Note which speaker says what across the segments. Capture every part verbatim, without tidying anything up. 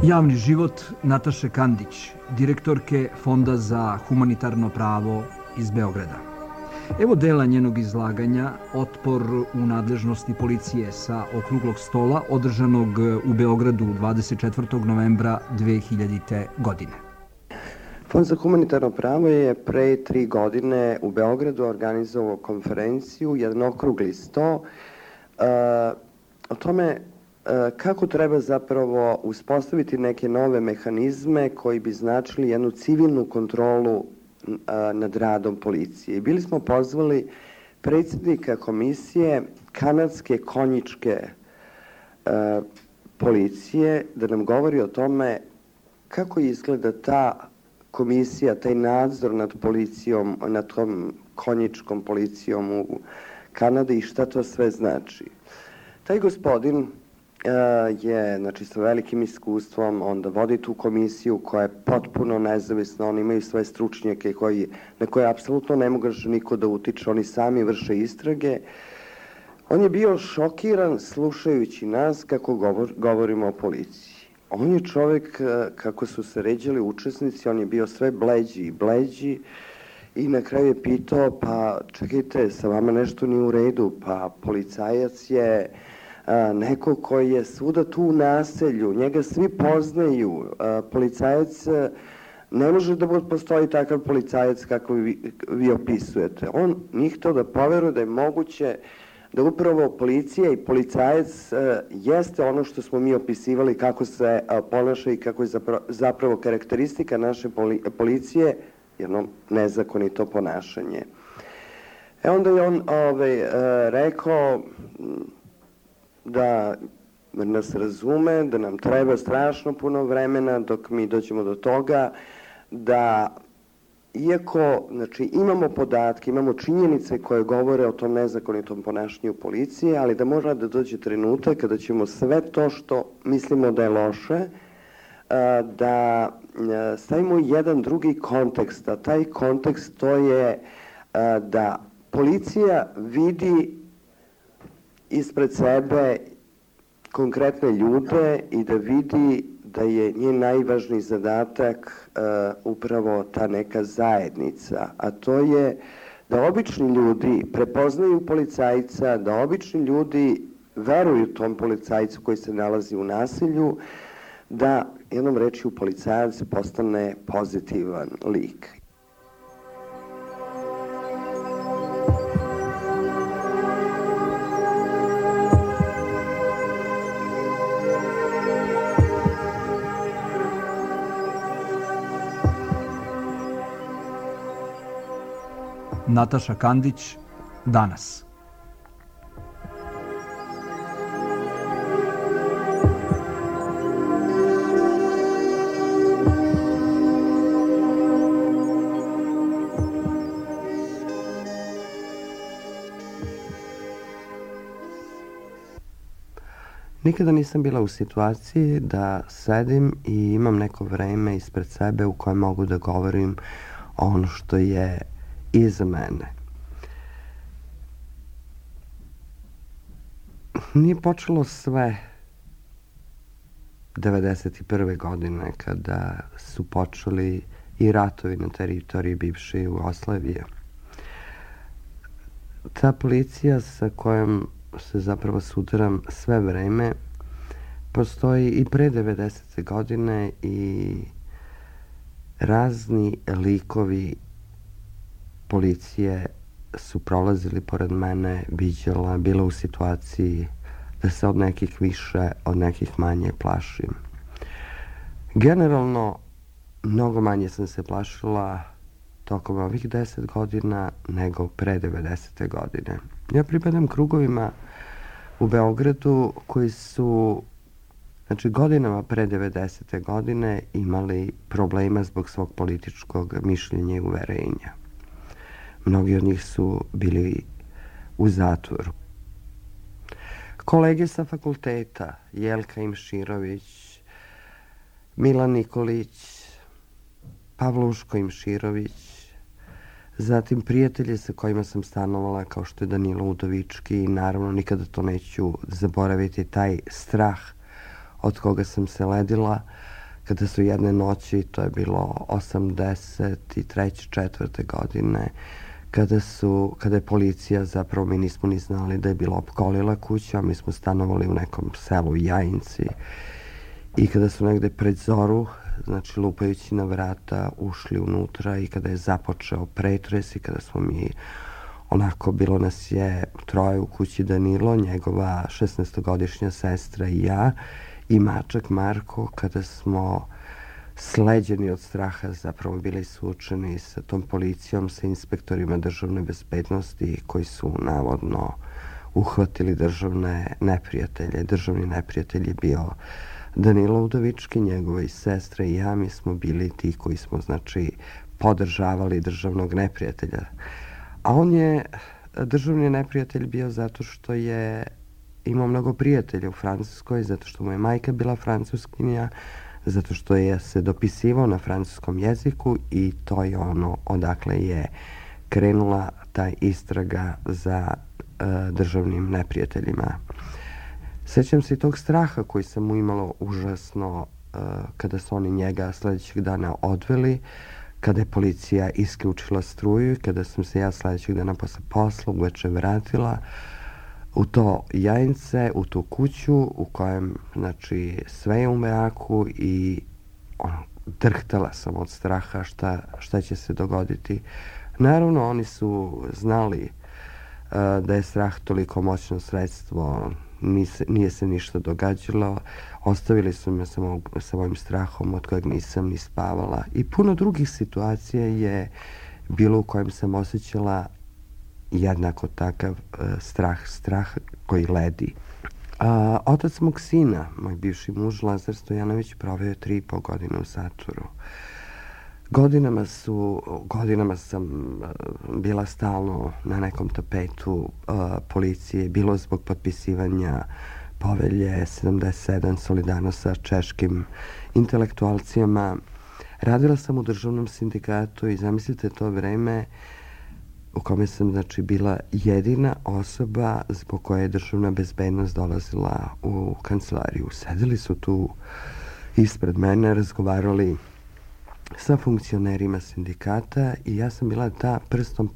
Speaker 1: Javni život Nataše Kandić, direktorke Fonda za humanitarno pravo iz Beograda. Evo dela njenog izlaganja Otpor u nadležnosti policije sa okruglog stola održanog u Beogradu dvadeset četvrtog novembra dve hiljadite. godine.
Speaker 2: Fond za humanitarno pravo je pre tri godine u Beogradu organizovao konferenciju, jedan okrugli sto, uh, o tome kako treba zapravo uspostaviti neke nove mehanizme koji bi značili jednu civilnu kontrolu nad radom policije. I bili smo pozvali predsjednika komisije kanadske konjičke policije da nam govori o tome kako izgleda ta komisija, taj nadzor nad policijom, nad tom konjičkom policijom u Kanadi i šta to sve znači. Taj gospodin je, znači, sa velikim iskustvom, onda vodi tu komisiju koja je potpuno nezavisna, oni imaju svoje stručnjake koji, na koje apsolutno ne može niko da utiče, oni sami vrše istrage. On je bio šokiran slušajući nas kako govor, govorimo o policiji. On je čovjek, kako su se ređali učesnici, on je bio sve bleđi i bleđi i na kraju je pitao, pa čekajte, sa vama nešto nije u redu, pa policajac je A, neko koji je svuda tu u naselju, njega svi poznaju, a, policajac, a, ne može da postoji takav policajac kako vi, vi opisujete. On nije htio da poveruje da je moguće da upravo policija i policajac a, jeste ono što smo mi opisivali kako se a, ponaša i kako je zapravo, zapravo karakteristika naše poli, policije, jedno nezakonito ponašanje. E onda je on ovaj, a, rekao da nas razume, da nam treba strašno puno vremena dok mi dođemo do toga da, iako, znači, imamo podatke, imamo činjenice koje govore o tom nezakonitom ponašanju policije, ali da mora da dođe trenutak kada ćemo sve to što mislimo da je loše, da stavimo jedan drugi kontekst, a taj kontekst to je da policija vidi ispred sebe konkretne ljude i da vidi da je njen najvažniji zadatak uh, upravo ta neka zajednica, a to je da obični ljudi prepoznaju policajca, da obični ljudi veruju tom policajcu koji se nalazi u nasilju, da jednom rečju policajac postane pozitivan lik.
Speaker 1: Nataša Kandić, danas.
Speaker 2: Nikada nisam bila u situaciji da sedim i imam neko vreme ispred sebe u kojem mogu da govorim ono što je iza mene. Nije počelo sve devedeset prve. godine kada su počeli i ratovi na teritoriji bivše Jugoslavije. Ta policija sa kojom se zapravo sudaram sve vreme postoji i pre devedesete. godine i razni likovi policije su prolazili pored mene, viđala, bila u situaciji da se od nekih više, od nekih manje plašim. Generalno, mnogo manje sam se plašila tokom ovih deset godina nego pre devedesete. godine. Ja pripadam krugovima u Beogradu koji su, znači, godinama pre devedesete. godine imali problema zbog svog političkog mišljenja i uverenja. Mnogi od njih su bili u zatvoru. Kolege sa fakulteta, Jelka Imširović, Milan Nikolić, Pavluško Imširović, zatim prijatelji sa kojima sam stanovala kao što je Danilo Udovički i naravno nikada to neću zaboraviti, taj strah od koga sam se ledila, kada su jedne noći, to je bilo osamdeset treće četvrte godine, kada su, kada je policija, zapravo mi nismo ni znali da je bila opkolila kuća, mi smo stanovali u nekom selu Jajinci, i kada su negde pred zoru, znači lupajući na vrata, ušli unutra i kada je započeo pretres i kada smo mi, onako, bilo nas je troje u kući, Danilo, njegova šesnaestogodišnja sestra i ja, i mačak Marko, kada smo sleđeni od straha zapravo bili suočeni sa tom policijom, sa inspektorima državne bezbednosti koji su navodno uhvatili državne neprijatelje. Državni neprijatelj je bio Danilo Udovički, njegova i sestra i ja. Mi smo bili ti koji smo, znači, podržavali državnog neprijatelja. A on je državni neprijatelj bio zato što je imao mnogo prijatelja u Francuskoj, zato što mu je majka bila francuskinja, zato što je se dopisivao na francuskom jeziku i to je ono odakle je krenula ta istraga za uh, državnim neprijateljima. Sećam se i tog straha koji sam mu imalo užasno uh, kada su oni njega sledećeg dana odveli, kada je policija isključila struju i kada sam se ja sledećeg dana posle posla uveče vratila u to Jajince, u tu kuću u kojem, znači, sve je u mraku i ono, drhtala sam od straha šta, šta će se dogoditi. Naravno, oni su znali uh, da je strah toliko moćno sredstvo, Nise, nije se ništa događalo, ostavili su me sa, moj, sa mojim strahom od kojeg nisam ni spavala. I puno drugih situacija je bilo u kojem sam osjećala jednako takav uh, strah, strah koji ledi. A, otac mog sina, moj bivši muž Lazar Stojanović, proveo je tri i po godine u zatvoru. Godinama su, godinama sam uh, bila stalno na nekom tapetu uh, policije, bilo zbog potpisivanja povelje sedamdeset sedam solidarno sa češkim intelektualcijama. Radila sam u državnom sindikatu i zamislite to vreme u kome sam, znači, bila jedina osoba zbog koje je državna bezbednost dolazila u kancelariju. Sedeli su tu ispred mene, razgovarali sa funkcionerima sindikata i ja sam bila ta prstom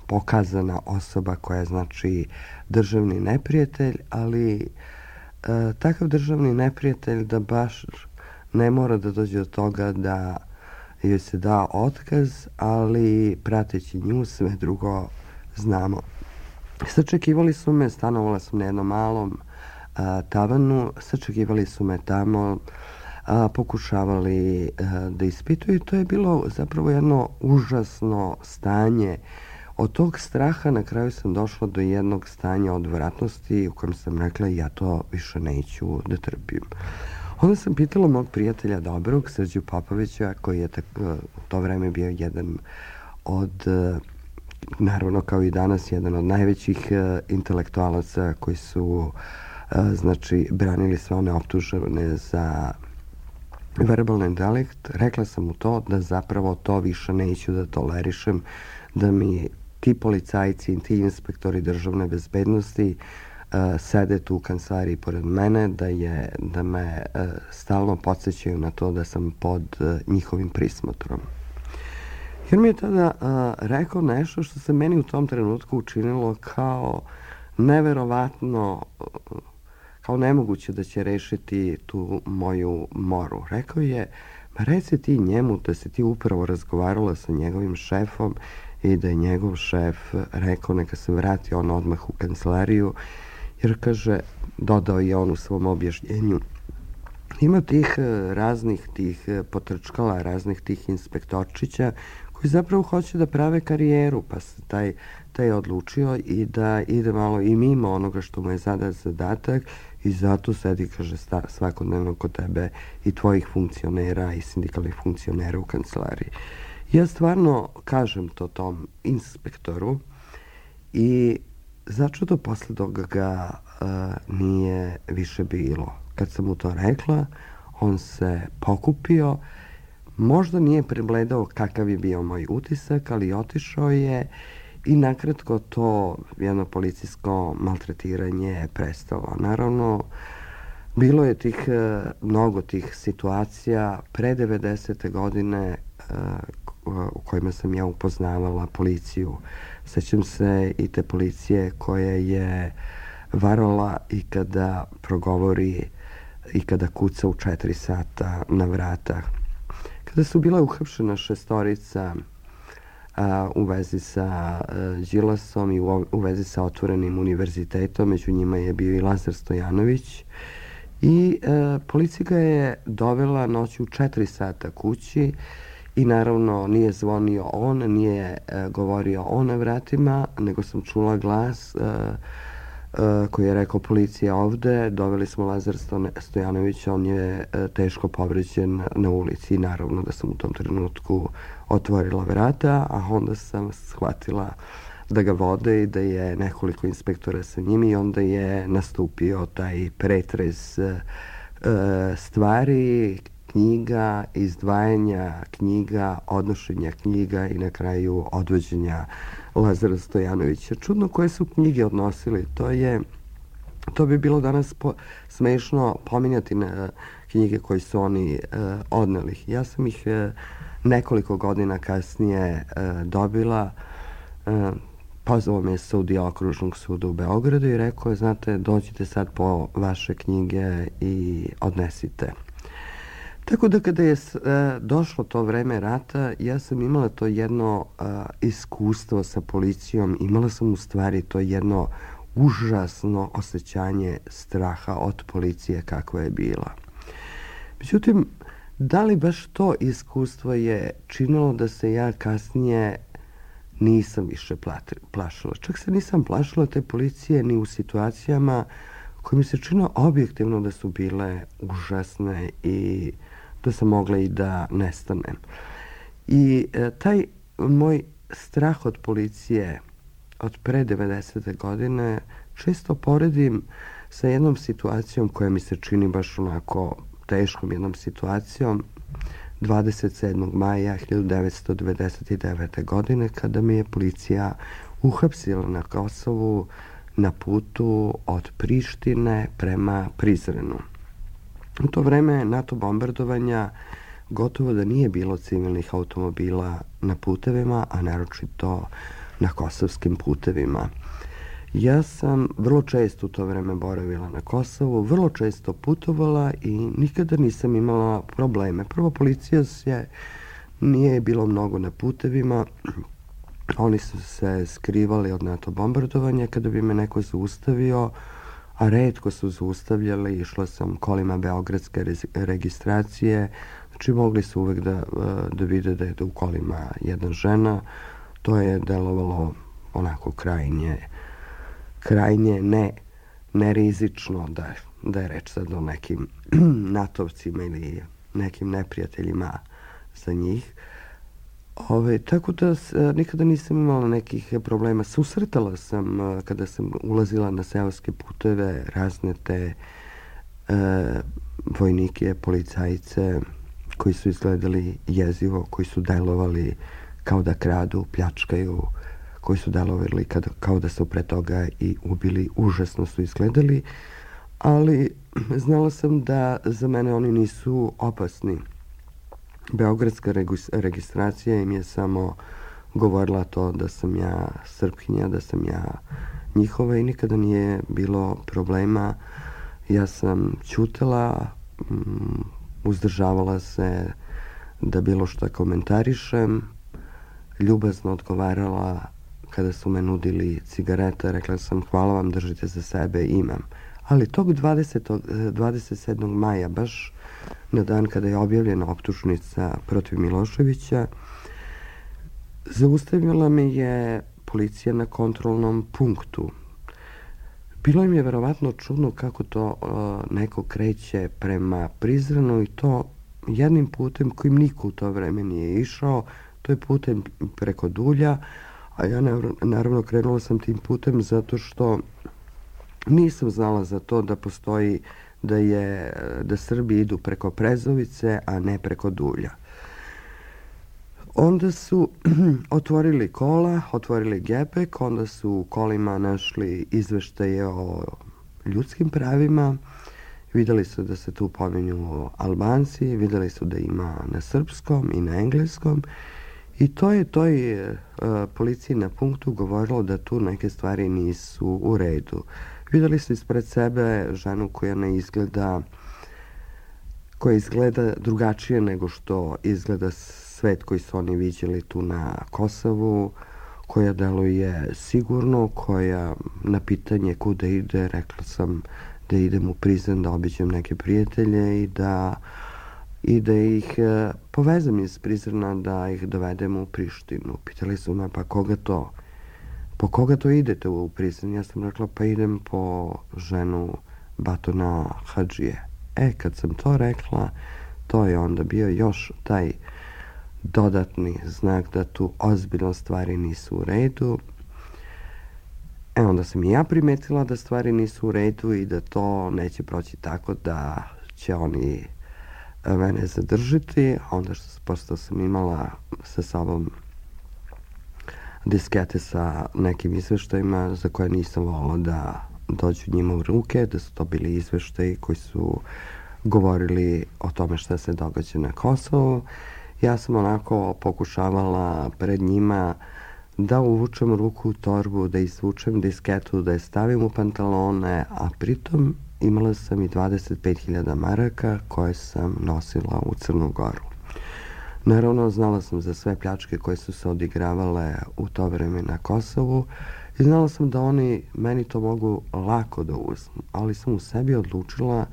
Speaker 2: pokazana osoba koja je, znači, državni neprijatelj, ali e, takav državni neprijatelj da baš ne mora da dođe do toga da joj se da otkaz, ali prateći nju sve drugo znamo. Sačekivali su me, stanovala sam na jednom malom a, tavanu, sačekivali su me tamo, a, pokušavali a, da ispituju. To je bilo zapravo jedno užasno stanje. Od tog straha na kraju sam došla do jednog stanja odvratnosti u kojem sam rekla ja to više neću da trpim. Onda sam pitala mog prijatelja dobrog, Srđu Popovića, koji je tako, u to vreme bio jedan od, naravno kao i danas, jedan od najvećih intelektualaca koji su, znači, branili sve one optužene za verbalni delikt. Rekla sam mu to da zapravo to više neću da tolerišem, da mi ti policajci i ti inspektori državne bezbednosti Uh, sede tu u kancelariji pored mene, da, je, da me uh, stalno podsjećaju na to da sam pod uh, njihovim prismotrom. Jer mi je tada uh, rekao nešto što se meni u tom trenutku učinilo kao neverovatno, uh, kao nemoguće da će rešiti tu moju moru. Rekao je, ma reci ti njemu da si ti upravo razgovarala sa njegovim šefom i da je njegov šef rekao neka se vrati on odmah u kancelariju. Jer, kaže, dodao je on u svom objašnjenju, ima tih raznih tih potrčkala, raznih tih inspektorčića koji zapravo hoće da prave karijeru, pa se taj, taj je odlučio i da ide malo i mimo onoga što mu je zadat zadatak i zato sedi, kaže, svakodnevno kod tebe i tvojih funkcionera i sindikalnih funkcionera u kancelariji. Ja stvarno kažem to tom inspektoru i začudo posle toga ga uh, nije više bilo. Kad sam mu to rekla, on se pokupio, možda nije pregledao kakav je bio moj utisak, ali otišao je i nakratko to jedno policijsko maltretiranje je prestalo. Naravno, Bilo je tih, mnogo tih situacija pre devedesete godine u kojima sam ja upoznavala policiju. Sećam se i te policije koja je varala i kada progovori i kada kuca u četiri sata na vrata. Kada su bila uhapšena šestorica a, u vezi sa a, Đilasom i u, u vezi sa Otvorenim univerzitetom, među njima je bio i Lazar Stojanović, i a, policija ga je dovela noću u četiri sata kući i naravno nije zvonio on, nije a, govorio on na vratima, nego sam čula glas a, koji je rekao policija ovde, doveli smo Lazar Stojanovića, on je teško povređen na ulici i naravno da sam u tom trenutku otvorila vrata, a onda sam shvatila da ga vode i da je nekoliko inspektora sa njim i onda je nastupio taj pretres stvari, knjiga, izdvajanja knjiga, odnošenja knjiga i na kraju odvođenja Lazara Stojanovića. Čudno koje su knjige odnosili. To je, to bi bilo danas po, smešno pominjati na knjige koje su oni uh, odneli. Ja sam ih uh, nekoliko godina kasnije uh, dobila. Uh, pozvao me sudija Okružnog suda u Beogradu i rekao je, znate, dođite sad po vaše knjige i odnesite. Tako da kada je uh, došlo to vreme rata, ja sam imala to jedno uh, iskustvo sa policijom, imala sam u stvari to jedno užasno osjećanje straha od policije kakva je bila. Međutim, da li baš to iskustvo je činilo da se ja kasnije nisam više plašila. Čak se nisam plašila te policije ni u situacijama koje mi se činilo objektivno da su bile užasne i da sam mogla i da nestanem. I e, taj moj strah od policije od pre devedesete godine često poredim sa jednom situacijom koja mi se čini baš onako teškom jednom situacijom dvadeset sedmog maja hiljadu devetsto devedeset devete. godine kada mi je policija uhapsila na Kosovu na putu od Prištine prema Prizrenu. U to vreme NATO bombardovanja gotovo da nije bilo civilnih automobila na putevima, a naročito na kosovskim putevima. Ja sam vrlo često u to vreme boravila na Kosovu, vrlo često putovala i nikada nisam imala probleme. Prvo, policija se nije bilo mnogo na putevima, oni su se skrivali od NATO bombardovanja. Kada bi me neko zaustavio, a retko su zaustavljali, išla sam kolima beogradske registracije, znači mogli su uvek da, da vide da je u kolima jedna žena. To je delovalo onako krajnje, krajnje ne, nerizično da, da je reč sad o nekim natovcima ili nekim neprijateljima za njih. Ove, tako da s, nikada nisam imala nekih problema. Susretala sam, kada sam ulazila na seoske puteve, razne te e, vojnike, policajce koji su izgledali jezivo, koji su delovali kao da kradu, pljačkaju, koji su delovali kada, kao da su pre toga i ubili. Užasno su izgledali, ali znala sam da za mene oni nisu opasni. Beogradska registracija im je samo govorila to da sam ja Srpkinja, da sam ja njihova i nikada nije bilo problema. Ja sam ćutala, uzdržavala se da bilo šta komentarišem, ljubazno odgovarala kada su me nudili cigarete, rekla sam hvala vam, držite za sebe, imam. Ali tog dvadesetog, dvadeset sedmog maja, baš na dan kada je objavljena optužnica protiv Miloševića, zaustavila me je policija na kontrolnom punktu. Bilo im je verovatno čudno kako to uh, neko kreće prema Prizrenu i to jednim putem kojim niko u to vreme nije išao, to je putem preko Dulja, a ja naravno krenula sam tim putem zato što nisam znala za to da postoji da je da Srbi idu preko Prezovice, a ne preko Dulja. Onda su otvorili kola, otvorili gepek, onda su u kolima našli izveštaje o ljudskim pravima, Videli su da se tu pominju Albanci, videli su da ima na srpskom i na engleskom i to je toj uh, policiji na punktu govorilo da tu neke stvari nisu u redu. Videli su ispred sebe ženu koja ne izgleda koja izgleda drugačije nego što izgleda svet koji su oni viđeli tu na Kosovu, koja deluje sigurno, koja na pitanje kuda ide, rekla sam da idem u Prizren da obiđem neke prijatelje i da, i da ih e, povezam iz Prizrena, da ih dovedem u Prištinu. Pitali su me, pa koga to? Po koga to idete u Prizren? Ja sam rekla, pa idem po ženu Batona Hadžije. E, kad sam to rekla, to je onda bio još taj dodatni znak da tu ozbiljno stvari nisu u redu. E, onda sam i ja primetila da stvari nisu u redu i da to neće proći tako da će oni mene zadržiti. Onda što, pošto sam imala sa sobom diskete sa nekim izveštajima za koje nisam volila da dođu njima u ruke, da su to bili izveštaji koji su govorili o tome šta se događa na Kosovu. Ja sam onako pokušavala pred njima da uvučem ruku u torbu, da izvučem disketu, da je stavim u pantalone, a pritom imala sam i dvadeset pet hiljada maraka koje sam nosila u Crnu Goru. Naravno, znala sam za sve pljačke koje su se odigravale u to vreme na Kosovu i znala sam da oni meni to mogu lako da uzmu, ali sam u sebi odlučila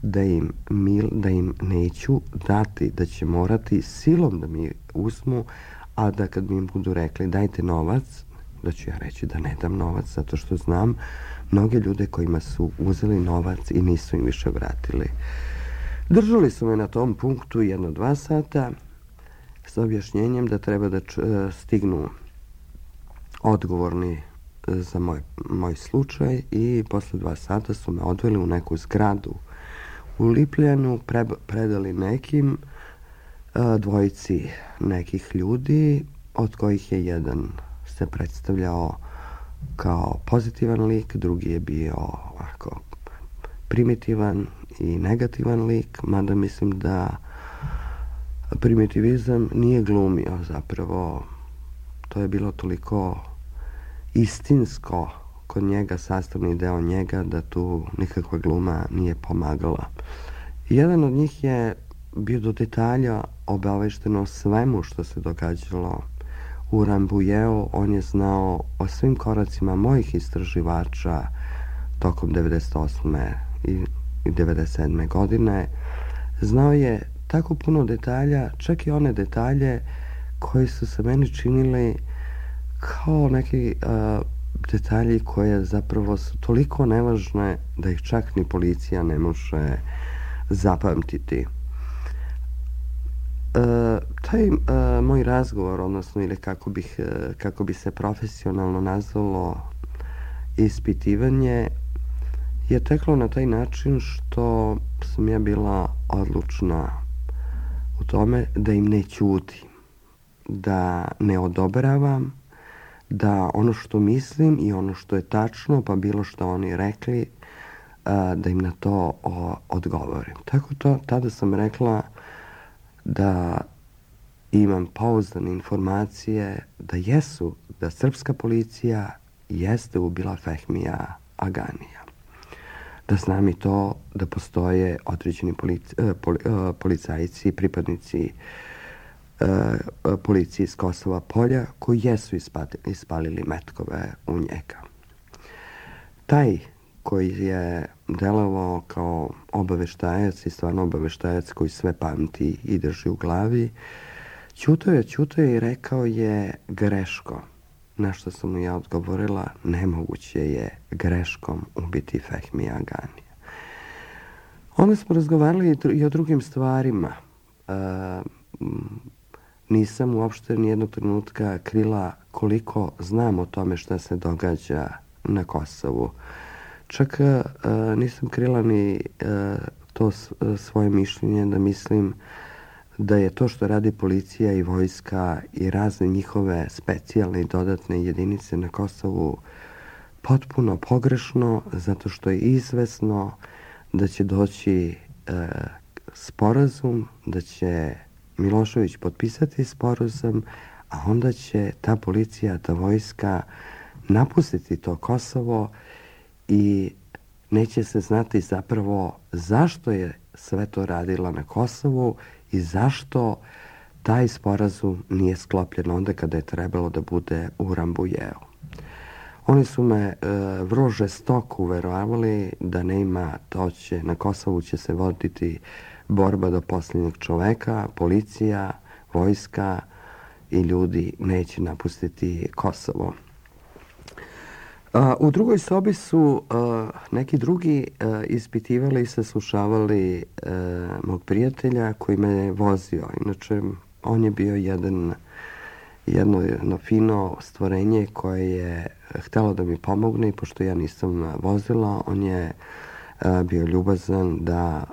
Speaker 2: da im, mil, da im neću dati, da će morati silom da mi uzmu, a da kad mi im budu rekli dajte novac, da ću ja reći da ne dam novac, zato što znam mnoge ljude kojima su uzeli novac i nisu im više vratili. Držali su me na tom punktu jedno dva sata s objašnjenjem da treba da č, stignu odgovorni za moj, moj slučaj i posle dva sata su me odveli u neku zgradu u Lipljanu, pre, predali nekim a, dvojici nekih ljudi, od kojih je jedan se predstavljao kao pozitivan lik, drugi je bio ovako primitivan i negativan lik, mada mislim da primitivizam nije glumio, zapravo to je bilo toliko istinsko kod njega, sastavni deo njega, da tu nikakva gluma nije pomagala. Jedan od njih je bio do detalja obavešten o svemu što se događalo u Rambujeu. On je znao o svim koracima mojih istraživača tokom devedeset osme i devedeset sedme godine. Znao je tako puno detalja, čak i one detalje koji su se meni činili kao neki uh, detalji koje zapravo su toliko nevažne da ih čak ni policija ne može zapamtiti. Uh, taj uh, moj razgovor, odnosno ili kako, bih, uh, kako bi se profesionalno nazvalo ispitivanje, je teklo na taj način što sam ja bila odlučna u tome da im ne ćutim, da ne odobravam, da ono što mislim i ono što je tačno, pa bilo što oni rekli, da im na to odgovorim. Tako to, tada sam rekla da imam pouzdane informacije da jesu, da srpska policija jeste ubila Fehmija Aganija. Da znam i to da postoje određeni polic, poli, policajci, pripadnici policije iz Kosova Polja koji jesu ispalili metkove u njega. Taj koji je delovao kao obaveštajac i stvarno obaveštajac koji sve pamti i drži u glavi, ćutao je, ćutao je i rekao je greško. Na što sam mu ja odgovorila, nemoguće je greškom ubiti Fehmija Aganija. Onda smo razgovarali i o drugim stvarima. E, nisam uopšte nijednog trenutka krila koliko znam o tome šta se događa na Kosovu. Čak e, nisam krila ni e, to svoje mišljenje da mislim da je to što radi policija i vojska i razne njihove specijalne i dodatne jedinice na Kosovu potpuno pogrešno, zato što je izvesno da će doći e, sporazum, da će Milošević potpisati sporazum, a onda će ta policija, ta vojska napustiti to Kosovo i neće se znati zapravo zašto je sve to radila na Kosovu i zašto taj sporazum nije sklopljen onda kada je trebalo da bude u Rambujeu. Oni su me e, vrlo žestoko uveravali da nema, to će, na Kosovu će se voditi borba do posljednjeg čoveka, policija, vojska i ljudi neće napustiti Kosovo. A, u drugoj sobi su a, neki drugi a, ispitivali i saslušavali a, mog prijatelja koji me je vozio. Inače, on je bio jedan, jedno, jedno fino stvorenje koje je htelo da mi pomogne i pošto ja nisam vozila, on je a, bio ljubazan da,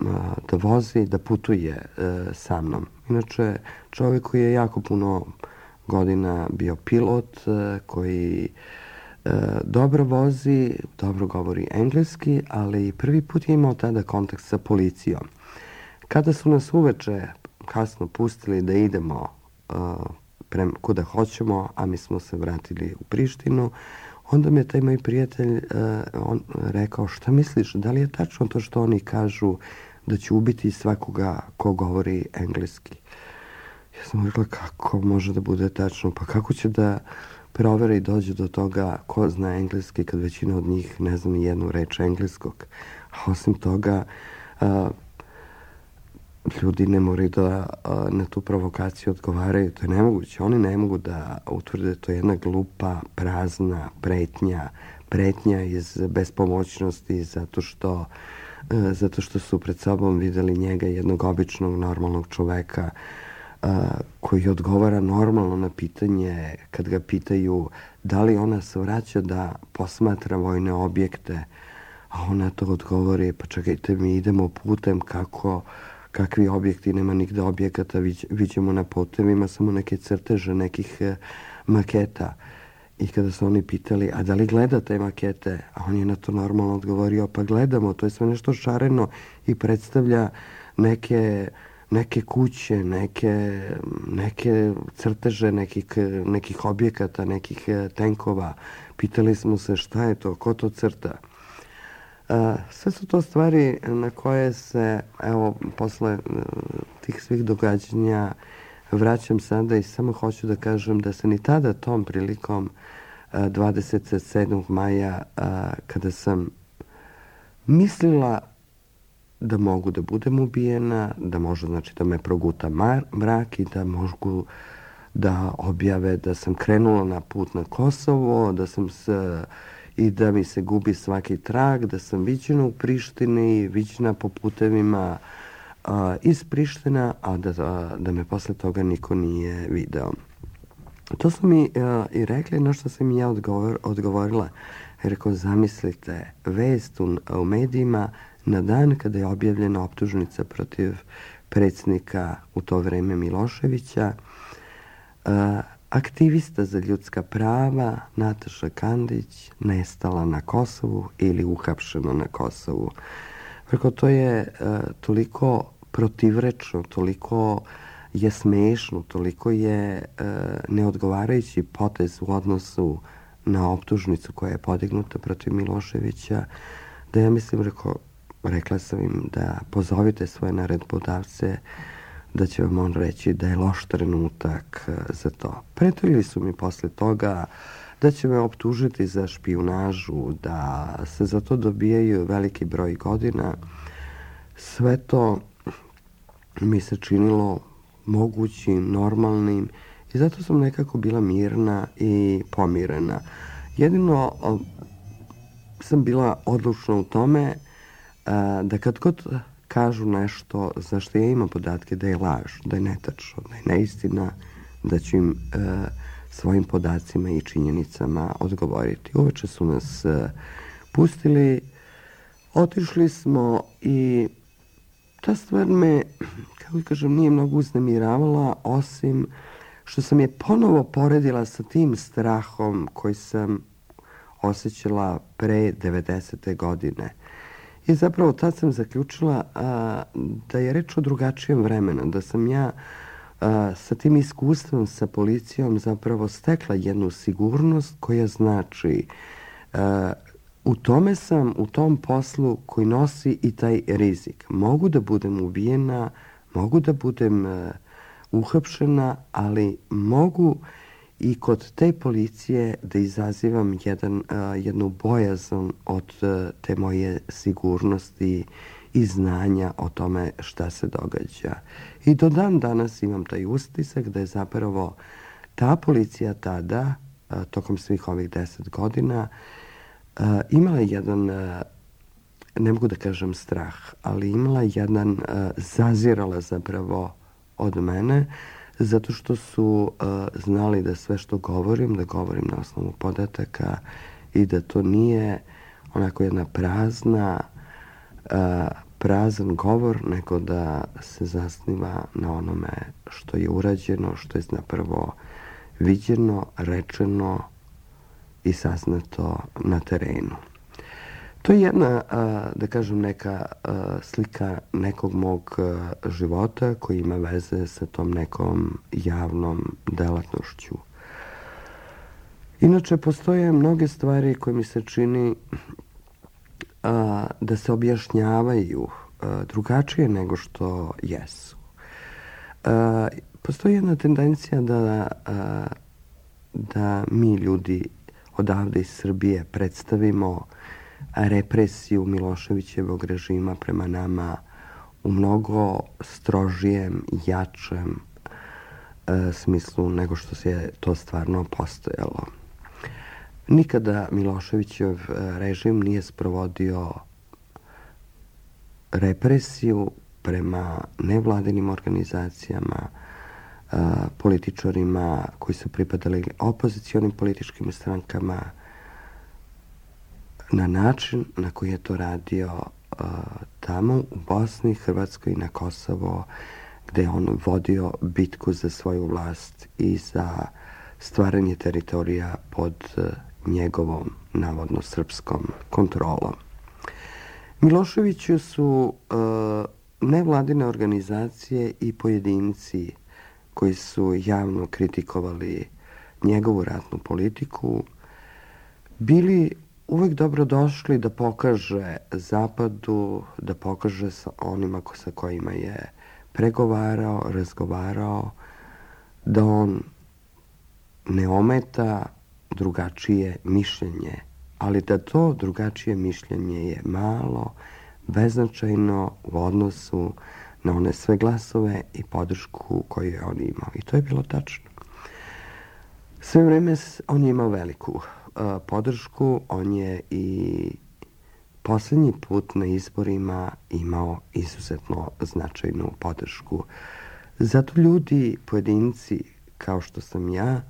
Speaker 2: a, da vozi, da putuje a, sa mnom. Inače, čovjek koji je jako puno godina bio pilot, a, koji dobro vozi, dobro govori engleski, ali prvi put je imao tada kontakt sa policijom. Kada su nas uveče kasno pustili da idemo uh, prema kuda hoćemo, a mi smo se vratili u Prištinu, onda mi je taj moj prijatelj uh, on rekao, šta misliš, da li je tačno to što oni kažu da će ubiti svakoga ko govori engleski? Ja sam rekla, kako može da bude tačno, pa kako će da provere i dođe do toga ko zna engleski kad većina od njih ne zna ni jednu reč engleskog. A osim toga, a, ljudi ne moraju da a, na tu provokaciju odgovaraju. To je nemoguće. Oni ne mogu da utvrde, to je jedna glupa, prazna pretnja, pretnja iz bespomoćnosti zato što, a, zato što su pred sobom videli njega, jednog običnog, normalnog čoveka, Uh, koji odgovara normalno na pitanje kad ga pitaju da li ona se vraća da posmatra vojne objekte, a ona to odgovori, pa čekajte, mi idemo putem, kako, kakvi objekti, nema nigde objekata, viđemo na putevima samo neke crteže, nekih uh, maketa. I kada su oni pitali, a da li gledate makete, a on je na to normalno odgovorio, pa gledamo, to je sve nešto šareno i predstavlja neke neke kuće, neke, neke crteže nekih, nekih objekata, nekih tenkova. Pitali smo se šta je to, ko to crta. A, sve su to stvari na koje se, evo, posle tih svih događanja vraćam sada i samo hoću da kažem da se ni tada tom prilikom dvadeset sedmog maja, a, kada sam mislila da mogu da budem ubijena, da može, znači, da me proguta mar, mrak i da mogu da objave da sam krenula na put na Kosovo, da sam se, i da mi se gubi svaki trag, da sam viđena u Prištini, viđena po putevima a, iz Priština, a da, a, da me posle toga niko nije video. To su mi a, i rekli, na što sam i ja odgovor, odgovorila. Rekao, zamislite, vest u, u medijima na dan kada je objavljena optužnica protiv predsjednika u to vreme Miloševića, a, aktivista za ljudska prava Nataša Kandić nestala na Kosovu ili uhapšena na Kosovu. Rekao, to je a, toliko protivrečno, toliko je smešno, toliko je a, neodgovarajući potez u odnosu na optužnicu koja je podignuta protiv Miloševića, da ja mislim, rekao, rekla sam im da pozovite svoje naredbodavce, da će vam on reći da je loš trenutak za to. Pretili su mi posle toga da će me optužiti za špijunažu, da se za to dobijaju veliki broj godina. Sve to mi se činilo mogućim, normalnim i zato sam nekako bila mirna i pomirena. Jedino sam bila odlučna u tome da kad god kažu nešto za što ja imam podatke da je laž, da je netačno, da je neistina, da ću im e, svojim podacima i činjenicama odgovoriti. Uveče su nas e, pustili, otišli smo i ta stvar me, kako kažem, nije mnogo uznemiravala, osim što sam je ponovo poredila sa tim strahom koji sam osjećala pre devedesete godine. I zapravo tad sam zaključila a, da je reč o drugačijem vremenu, da sam ja a, sa tim iskustvom sa policijom zapravo stekla jednu sigurnost koja znači a, u tome sam, u tom poslu koji nosi i taj rizik. Mogu da budem ubijena, mogu da budem a, uhapšena, ali mogu i kod te policije da izazivam jedan, uh, jednu bojazan od uh, te moje sigurnosti i znanja o tome šta se događa. I do dan danas imam taj utisak da je zapravo ta policija tada, uh, tokom svih ovih deset godina, uh, imala jedan, uh, ne mogu da kažem strah, ali imala jedan, uh, zazirala zapravo od mene, zato što su uh, znali da sve što govorim, da govorim na osnovu podataka i da to nije onako jedna prazna, uh, prazan govor, nego da se zasniva na onome što je urađeno, što je napravo viđeno, rečeno i saznato na terenu. To je jedna, da kažem, neka slika nekog mog života koji ima veze sa tom nekom javnom delatnošću. Inače, postoje mnoge stvari koje mi se čini da se objašnjavaju drugačije nego što jesu. Postoji jedna tendencija da, da mi ljudi odavde iz Srbije predstavimo represiju Miloševićevog režima prema nama u mnogo strožijem, jačem e, smislu nego što se to stvarno postojalo. Nikada Miloševićev režim nije sprovodio represiju prema nevladinim organizacijama, e, političarima koji su pripadali opozicionim političkim strankama, na način na koji je to radio uh, tamo u Bosni, Hrvatskoj i na Kosovo, gde je on vodio bitku za svoju vlast i za stvaranje teritorija pod uh, njegovom, navodno, srpskom kontrolom. Miloševiću su uh, nevladine organizacije i pojedinci koji su javno kritikovali njegovu ratnu politiku bili uvek dobrodošli da pokaže Zapadu, da pokaže sa onima sa kojima je pregovarao, razgovarao, da on ne ometa drugačije mišljenje, ali da to drugačije mišljenje je malo, beznačajno u odnosu na one sve glasove i podršku koju je on imao. I to je bilo tačno. Sve vreme on je imao veliku podršku, on je i poslednji put na izborima imao izuzetno značajnu podršku. Zato ljudi, pojedinci kao što sam ja,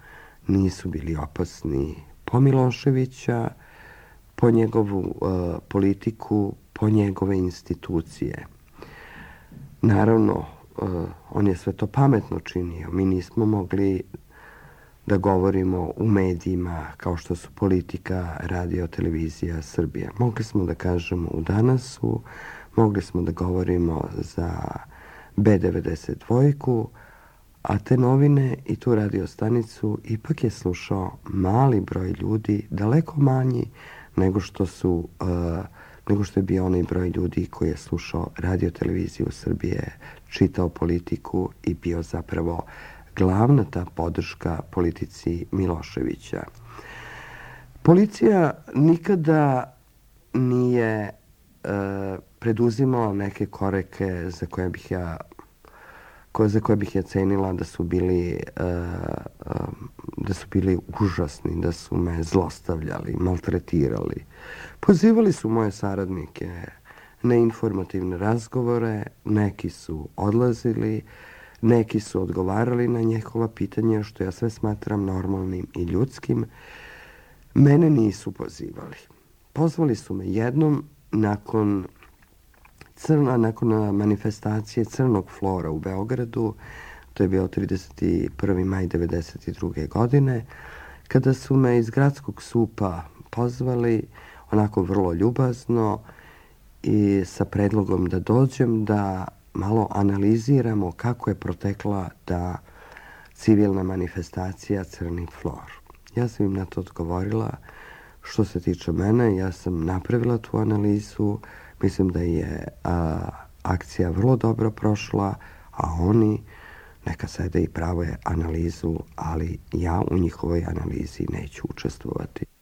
Speaker 2: nisu bili opasni po Miloševića, po njegovu uh, politiku, po njegove institucije. Naravno, uh, on je sve to pametno činio. Mi nismo mogli da govorimo u medijima kao što su Politika, Radio, Televizija Srbije. Mogli smo da kažemo u Danasu, mogli smo da govorimo za B devedeset dva, a te novine i tu radio stanicu ipak je slušao mali broj ljudi, daleko manji nego što su uh, nego što je bio onaj broj ljudi koji je slušao Radio, Televiziju Srbije, čitao Politiku i bio zapravo glavna ta podrška politici Miloševića. Policija nikada nije e, preduzimala neke korake za koje bih ja koje, za koje bih ja cenila da su bili e, da su bili užasni, da su me zlostavljali, maltretirali. Pozivali su moje saradnike na informativne razgovore, neki su odlazili, neki su odgovarali na njihova pitanja, što ja sve smatram normalnim i ljudskim. Mene nisu pozivali. Pozvali su me jednom nakon crna, nakon manifestacije Crnog flora u Beogradu, to je bio trideset prvi maj devedeset druge. godine, kada su me iz gradskog supa pozvali onako vrlo ljubazno i sa predlogom da dođem da malo analiziramo kako je protekla ta civilna manifestacija Crni flor. Ja sam im na to odgovorila, što se tiče mene, ja sam napravila tu analizu, mislim da je a, akcija vrlo dobro prošla, a oni neka sede i prave analizu, ali ja u njihovoj analizi neću učestvovati.